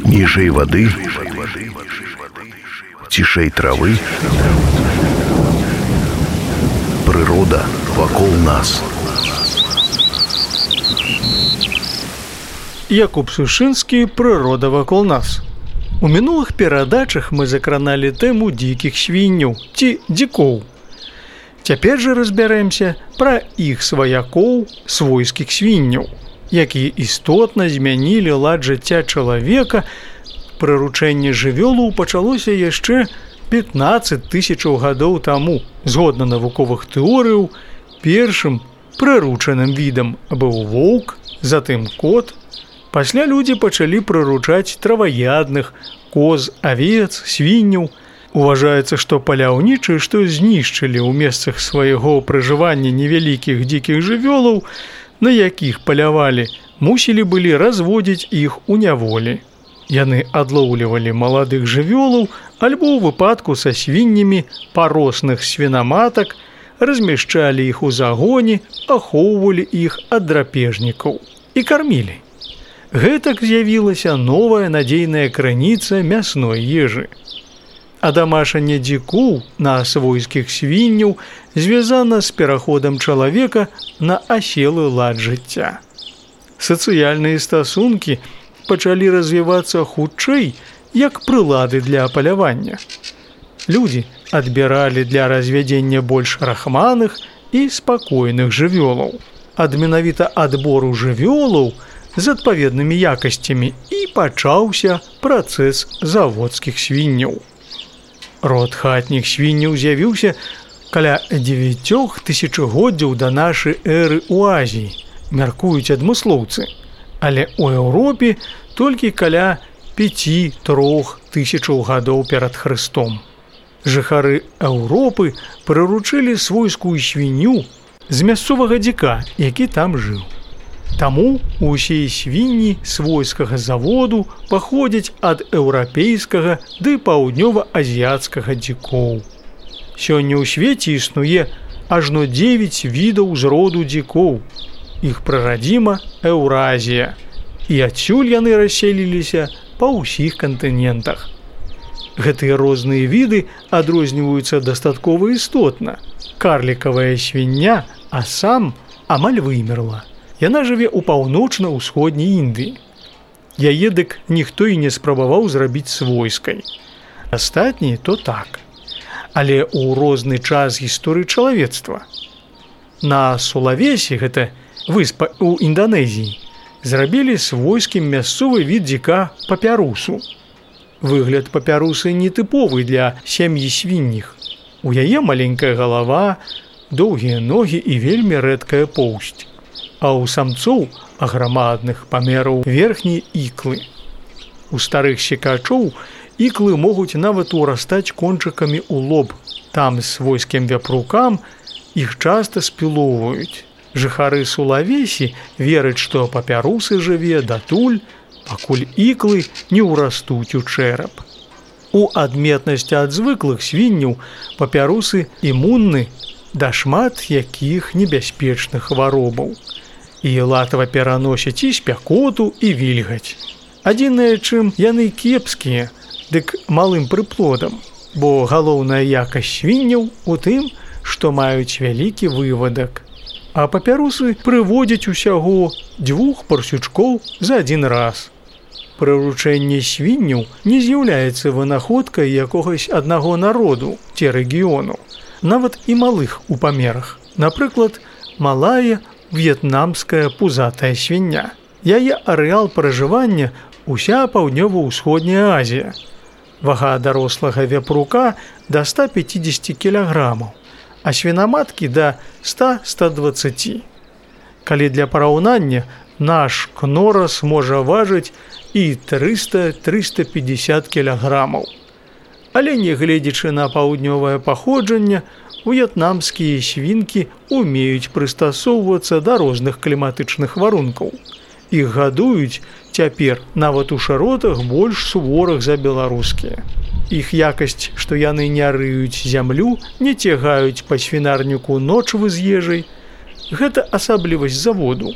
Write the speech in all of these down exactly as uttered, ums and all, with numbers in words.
Ніжэй вады, цішэй травы, прырода вакол нас. Якуб Сушынскі «Прырода вакол нас». У мінулых перадачах мы закраналі тэму дзікіх свінняў ці дзікоў. Цяпер жа разбярэмся пра іх сваякоў, свойскіх свінняў, якія істотна змянілі лад жыцця чалавека. Прыручэнне жывёлаў пачалося яшчэ пятнаццаць тысячаў гадоў таму. Згодна навуковых тэорыяў, першым прыручаным відам быў воўк, затым кот. Пасля людзі пачалі прыручаць траваядных, коз, авец, свінняў. Уважаецца, што паляўнічыя, што знішчылі ў месцах свайго пражывання невялікіх дзікіх жывёлаў, на якіх палявалі, мусілі былі разводзіць іх у няволі. Яны адлоўлівалі маладых жывёлаў альбо ў выпадку са свіннямі паросных свінаматак, размяшчалі іх у загоне, ахоўвалі іх ад драпежнікаў і кармілі. Гэтак з'явілася новая надзейная крыніца мясной ежы. Адамашанне дзікоў на свойскіх свінняў звязана з пераходам чалавека на аселы лад жыцця. Сацыяльныя стасункі пачалі развівацца хутчэй, як прылады для палявання. Людзі адбіралі для развядзення больш рахманых і спакойных жывёлаў. Ад менавіта адбору жывёлаў з адпаведнымі якасцямі і пачаўся працэс заводскіх свінняў. Род хатніх свінняў з'явіўся каля дзевяці тысячагоддзяў да нашай эры ў Азіі, мяркуюць адмыслоўцы, але ў Еўропе толькі каля пяці-трох тысячаў гадоў перад Хрыстом. Жыхары Еўропы прыручылі свойскую свінню з мясцовага дзіка, які там жыў. Таму усе свінні свойскага заводу паходзяць ад еўрапейскага ды паўднёва-азіяцкага дзікоў. Сёння ў свеце існуе ажно дзевяць відаў з роду дзікоў. Іх прарадзіма Еўразія, і адсюль яны расселіліся па ўсіх кантынентах. Гэтыя розныя віды адрозніваюцца дастаткова істотна. Карлікавая свіння, а сам амаль вымерла. Яна жыве ў паўночна-ўсходняй Індыі. Яе дык ніхто і не спрабаваў зрабіць свойскай. Астатнія то так. Але ў розны час гісторыі чалавецтва. На Сулавесі, гэта выспа ў Інданезіі, зрабілі свойскім мясцовы від дзіка папярусу. Выгляд папярусы нетыповы для сям'і свінніх. У яе маленькая галава, доўгія ногі і вельмі рэдкая поўсць. А ў самцоў аграмадных памераў верхнія іклы. У старых секачоў іклы могуць нават урастаць кончыкамі ў лоб. Там свойскім вяпрукам іх часта спілоўваюць. Жыхары Сулавесі вераць, што папярусы жыве датуль, пакуль іклы не ўрастуць у чэрап. У адметнасці ад звыклых свінняў папярусы імунны да шмат якіх небяспечных хваробаў. І латава пераносяць і спякоту, і вільгаць. Адзінае, чым яны кепскія, дык малым прыплодам, бо галоўная якасць свінняў у тым, што маюць вялікі вывадак. А папярусы прыводзяць усяго дзвюх парсючкоў за адзін раз. Прыручэнне свінняў не з'яўляецца вынаходкай якогось аднаго народу ці рэгіёну, нават і малых у памерах. Напрыклад, малая в'етнамская пузатая свіння. Яе арэал пражывання уся паўднёва-ўсходняя Азія. Вага дарослага вяпрука да ста пяцідзесяці кілаграмаў, а свінаматкі да ста - ста дваццаці. Калі для параўнання, наш кнорас можа важыць і трыста - трыста пятьдесят кілаграмаў. Але нягледзячы на паўднёвае паходжанне, в'етнамскія свінкі умеюць прыстасоўвацца да розных кліматычных варункаў. Іх гадуюць цяпер нават у шыротах больш суворых за беларускія. Іх якасць, што яны не рыюць зямлю, не цягаюць па свінарніку ночвы з ежай, гэта асаблівасць заводу.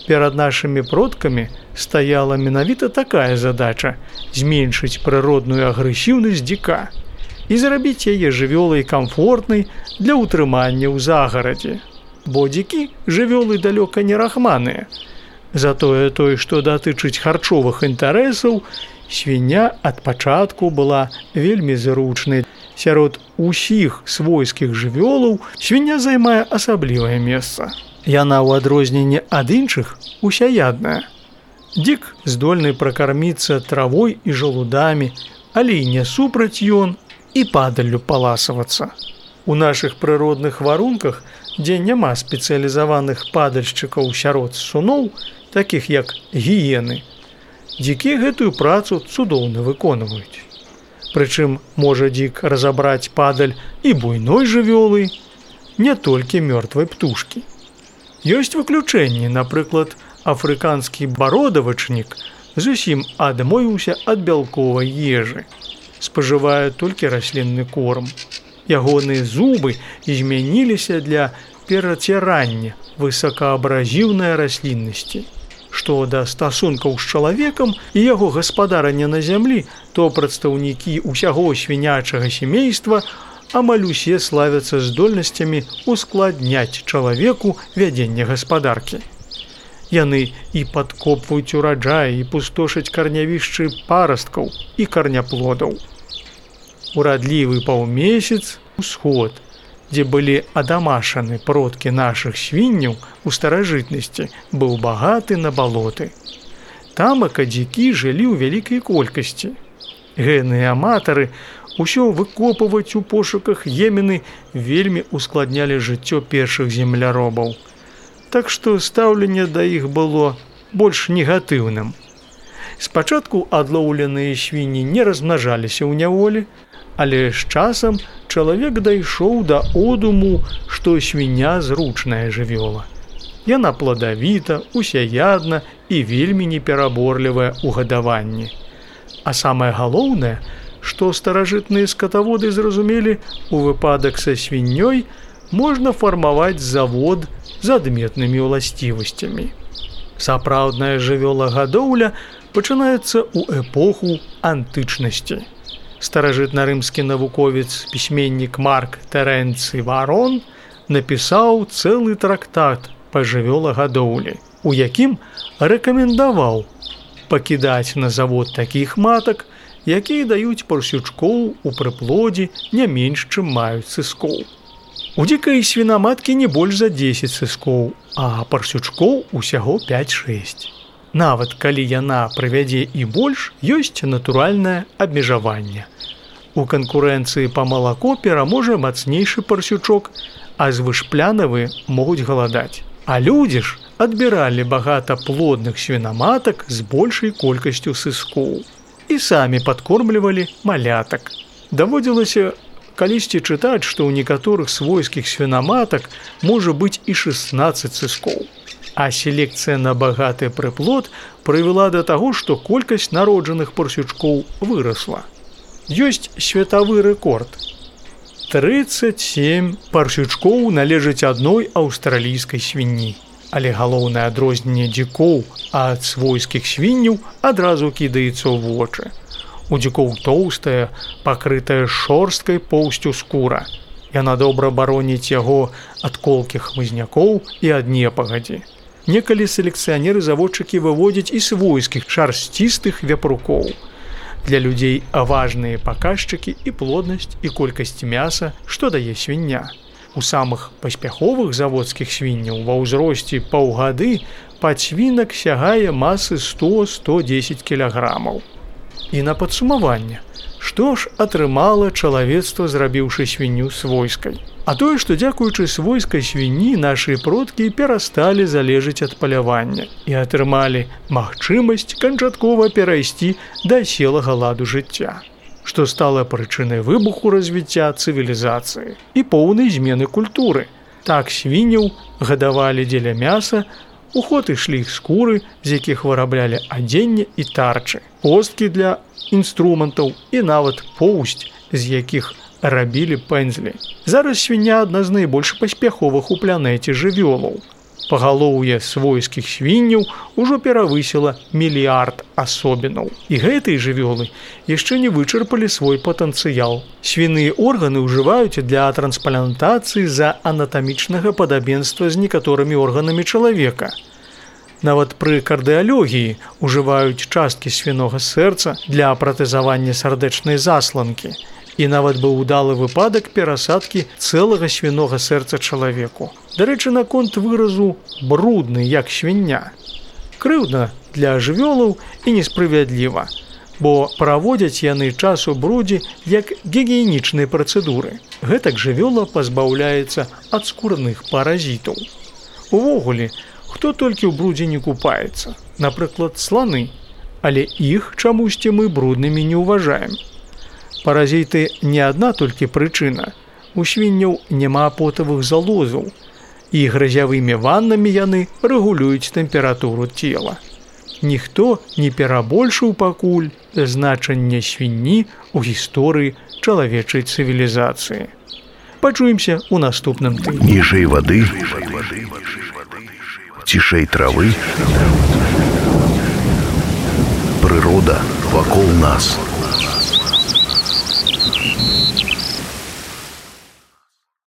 Перад нашымі продкамі стаяла менавіта такая задача зменшыць прыродную агрэсіўнасць дзіка і зрабіць яе жывёлай камфортнай для ўтрымання ў загарадзе. Бо дзікі жывёлы далёка не рахманыя. Затое той, што датычыць харчовых інтарэсаў, свіння ад пачатку была вельмі зручнай. Сярод усіх свойскіх жывёлаў свіння займае асаблівае месца. Яна ў адрозненне ад іншых усяядная. Дзік здольны пракарміцца травой і жалудамі, але і не супраць ён і падаллю паласавацца. У нашых прыродных варунках, дзе няма спецыялізаваных падальшчыкаў сярод суноў, такіх як гіены, дзікі гэтую працу цудоўна выконваюць. Прычым можа дзік разабраць падаль і буйной жывёлы, не толькі мёртвай птушкі. Ёсць выключэнні, напрыклад, афрыканскі бародавачнік зусім адмовіўся ад бялковай ежы, спажывае толькі раслінны корм. Ягоныя зубы змяніліся для перацірання высокаабразіўнай расліннасці. Што да стасункаў з чалавекам і яго гаспадарання на зямлі, то прадстаўнікі ўсяго свінячага сямейства амаль усе славяцца здольнасцямі ускладняць чалавеку вядзенне гаспадаркі. Яны і падкопваюць ураджай, і пустошаць карнявішчы парасткаў і карняплодаў. Урадлівы паўмесяц усход, дзе былі адамашаны продкі нашых свінняў у старажытнасці, быў багаты на балоты. Тамака дзікі жылі ў вялікай колькасці. Генныя аматары усё выкопваць у пошуках емены вельмі ускладнялі жыццё першых земляробаў. Так што стаўленне да іх было больш негатыўным. Спачатку адлоўленыя свінні не размнажаліся ў няволі, але з часам чалавек дайшоў да одуму, што свіння зручная жывёла. Яна пладавіта, усяядна і вельмі непераборлівая ў гадаванні. А самае галоўнае, што старажытныя скатаводы зразумелі, у выпадак са свіннёй можна фармаваць завод з адметнымі ўласцівасцямі. Сапраўдная жывёлагадоўля пачынаецца ў эпоху антычнасці. Старажытна-рымскі навуковец, пісьменнік Марк Тэрэнцый Варон напісаў цэлы трактат па жывёлагадоўлі, у якім рэкамендаваў пакідаць на завод такіх матак, якія даюць парсючкоў у прыплодзе не менш, чым маюць сыскоў. У дзікай свінаматкі не больш за дзесяць сыскоў, а парсючкоў усяго пяць-шэсць. Нават калі яна прывядзе і больш, ёсць натуральнае абмежаванне. У канкурэнцыі па малако пераможа мацнейшы парсючок, а звышплянавыя могуць галадаць. А людзі ж адбіралі багата плодных свінаматак з большай колькасцю сыскоў і самі падкормлівалі малятак. Даводзілася калісьці чытаць, што ў некаторых свойскіх свінаматак можа быць і шэснаццаць сыскоў. А селекцыя на багаты прыплод прывяла да таго, што колькасць народжаных парсючкоў вырасла. Ёсць светавы рэкорд. трыццаць сем парсючкоў належаць адной аўстралійскай свінні. Але галоўнае адрозненне дзікоў ад свойскіх свінняў адразу кідаецца ў вочы. У дзікоў тоўстая, пакрытая шорсткай поўсцю скура. Яна добра бароніць яго ад колкіх хмызнякоў і ад непагадзі. Некалі селекцыянеры-заводчыкі выводзяць і свойскіх шарсцістых вяпрукоў. Для людзей важныя паказчыкі і плоднасць і колькасць мяса, што дае свіння. У самых паспяховых заводскіх свінняў ва ўзросце паўгады падсвінак сягае масы сто - сто дзесяць кілаграмаў. І на падсумаванне, што ж атрымала чалавецтва, зрабіўшы свінню свойскай? А тое, што дзякуючы свойскай свінні нашы продкі перасталі залежаць ад палявання і атрымалі магчымасць канчаткова перайсці да аселага ладу жыцця, што стала прычынай выбуху развіцця цывілізацыі і поўнай змены культуры. Так свінняў гадавалі дзеля мяса, у ход ішлі іх скуры, з якіх выраблялі адзенне і тарчы, косткі для інструментаў і нават поўсць, з якіх рабілі пэндзлі. Зараз свіння адна з найбольш паспяховых у планеце жывёлаў. Пагалоўе свойскіх свінняў ужо перавысіла мільярд асобінаў. І гэтыя жывёлы яшчэ не вычарпалі свой патэнцыял. Свіныя органы ўжываюць для трансплантацыі з-за анатамічнага падабенства з некаторымі органамі чалавека. Нават пры кардыялогіі ўжываюць часткі свінога сэрца для пратэзавання сардэчнай засланкі. І нават быў удалы выпадак перасадкі цэлага свінога сэрца чалавеку. Дарэчы, наконт выразу «брудны, як свіння». Крыўдна для жывёлаў і несправядліва, бо праводзяць яны час у брудзе як гігіенічныя працэдуры. Гэтак жывёла пазбаўляецца ад скурных паразітаў. Увогуле, хто толькі ў брудзе не купаецца, напрыклад, сланы, але іх чамусьці мы бруднымі не ўважаем. Паразіты не адна толькі прычына. У свінняў няма потавых залозаў, і грызявымі ваннамі яны рэгулююць тэмпературу цела. Ніхто не перабольшыў пакуль значэнне свінні ў гісторыі чалавечай цывілізацыі. Пачуемся ў наступным тыдні. Ніжэй вады, цішэй травы, прырода вакол нас.